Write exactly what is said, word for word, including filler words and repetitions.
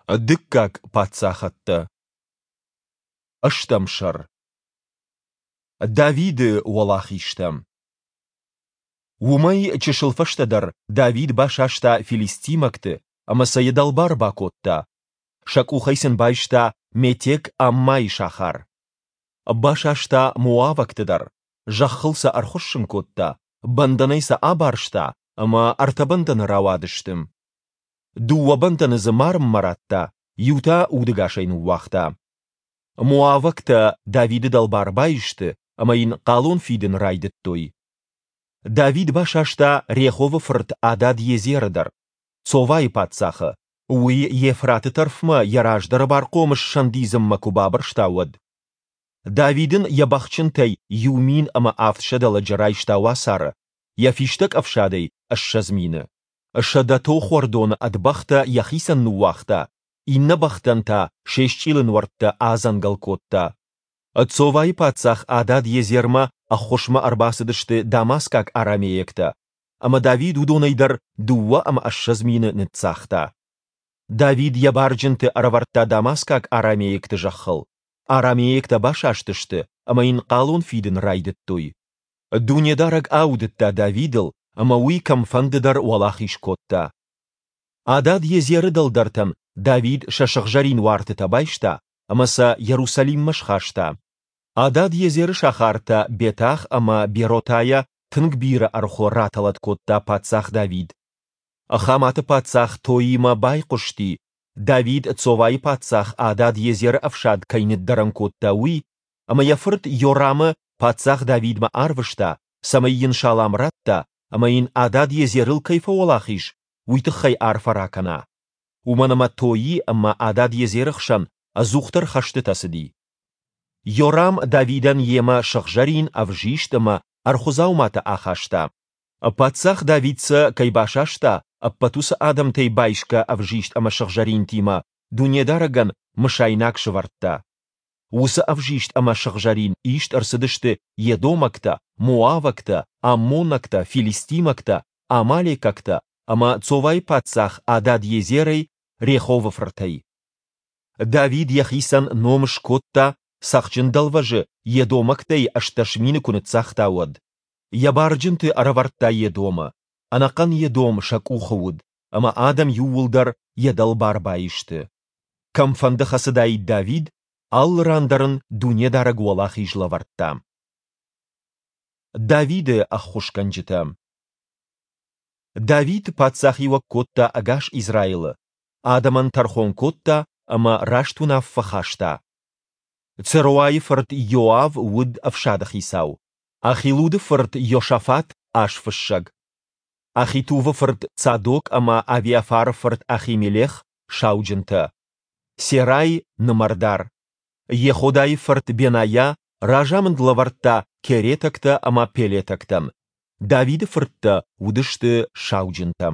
Дыккаг паддзахӕдтӕ. Ӕстӕм сӕр. Давиды уӕлахизтӕ. Уымӕй чысыл фӕстӕдӕр Давид басаста филистимӕгты ӕмӕ сӕ йӕ дӕлбар бакодта. Сӕ къухӕй сын байста Метег-Аммайы сахар. Басаста моавӕгты дӕр, зӕххыл сӕ ӕрхуыссын кодта, бӕндӕнӕй сӕ абарста, ӕмӕ ӕртӕ бӕндӕны рауадысты. Дыууӕ бӕндӕны дзы марынмӕ радта, иу та удӕгасӕй ныууагъта. Моавӕгтӕ Давиды дӕлбар баисты ӕмӕ йын хъалон фидын райдыдтой. Давид басаста Реховы фырт Адад-Езеры дӕр, Цовайы паддзахы, уый Евфраты тӕрфмӕ йӕ раздӕры бархъомыс сӕндидзынмӕ куы бабырста, уӕд. Давид ын йӕ бӕхджынтӕй иу мин ӕмӕ авдсӕдӕ лӕджы райста уацары, йӕ фистӕг ӕфсадӕй ссӕдз мины. Сӕдӕ тохуӕрдоны ӕд бӕхтӕ йӕхицӕн ныууагъта, иннӕ бӕхтӕн та се счъилы нуӕрттӕ адзӕнгӕл кодта. Цовайы паддзах Адад-Езермӕ ӕххуысмӕ ӕрбацыдысты дамаскаг арамейӕгтӕ, ӕмӕ Давид уыдонӕй дӕр дыууӕ ӕмӕ ссӕдз мины ныццагъта. Давид йӕ барджынты ӕрӕвӕрдта дамаскаг арамейӕгты зӕххыл. Арамейӕгтӕ басастысты ӕмӕ йын хъалон фидын райдыдтой. Дунедарӕг аудыдта Давидыл, ӕмӕ уый кӕмфӕнды дӕр уӕлахиз кодта. Адад-Езеры дӕлдӕртӕн Давид сӕ сыгъзӕрин уартытӕ байста ӕмӕ сӕ Йерусалиммӕ схаста. Адад-Езеры сахартӕ Бетах ӕмӕ Беротайӕ тынг бирӕ ӕрхуы ратӕлӕт кодта паддзах Давид. Хаматы паддзах Тоимӕ байхъуысти, Давид Цовайы паддзах Адад-Езеры ӕфсад кӕй ныддӕрӕн кодта, уый, ӕмӕ йӕ фырт Йорамы паддзах Давидмӕ арвыста, цӕмӕй йын салам ратта ӕмӕ йын Адад-Езерыл кӕй фӕуӕлахиз, уый тыххӕй арфӕ ракӕна. Уымӕн ӕмӕ Тои ӕмӕ Адад-Езеры хсӕн ӕдзухдӕр хӕстытӕ цыди. Йорам Давидӕн йемӕ сыгъзӕрин, ӕвзист ӕмӕ ӕрхуы дзауматӕ ахаста. Паддзах Давид сӕ кӕй басаста, ӕппӕт уыцы адӕмтӕй байсгӕ ӕвзист ӕмӕ сыгъзӕринтимӕ Дунедарӕгӕн мысайнаг сӕвӕрдта. Уыцы ӕвзист ӕмӕ сыгъзӕрин ист ӕрцыдысты едомӕгтӕ, моавӕгтӕ, аммонӕгтӕ, филистимӕгтӕ, амалекӕгтӕ ӕмӕ Цовайы паддзах Адад-Езерӕй, Реховы фыртӕй. Давид йӕхицӕн ном скодта, Цӕхджын дӕлвӕзы едомӕгтӕй ӕстдӕс мины куы ныццагъта, уӕд. Йӕ барджынты ӕрӕвӕрдта Едомы, ӕнӕхъӕн Едом сӕ къухы уыд, ӕмӕ адӕм иууылдӕр йӕ дӕлбар баисты. Кӕмфӕнды хӕцыдаид Давид, алы ран дӕр ын Дунедарӕг уӕлахиз лӕвӕрдта. Давиды ӕххуысгӕнджытӕ. Давид паддзахиуӕг кодта ӕгас Израилы, адӕмӕн тӕрхон кодта ӕмӕ раст уынаффӕ хаста. Церуайы фырт Иоав уыд ӕфсады хицау, Ахилуды фырт Иосафат – азфыссӕг, Ахитувы фырт Цадок ӕмӕ Авиафары фырт Ахимелех – сауджынтӕ, Серай – нымӕрдар, Йеходайы фырт Бенайа разамынд лӕвӕрдта керетӕгтӕ ӕмӕ пелетӕгтӕн, Давиды фырттӕ уыдысты сауджынтӕ.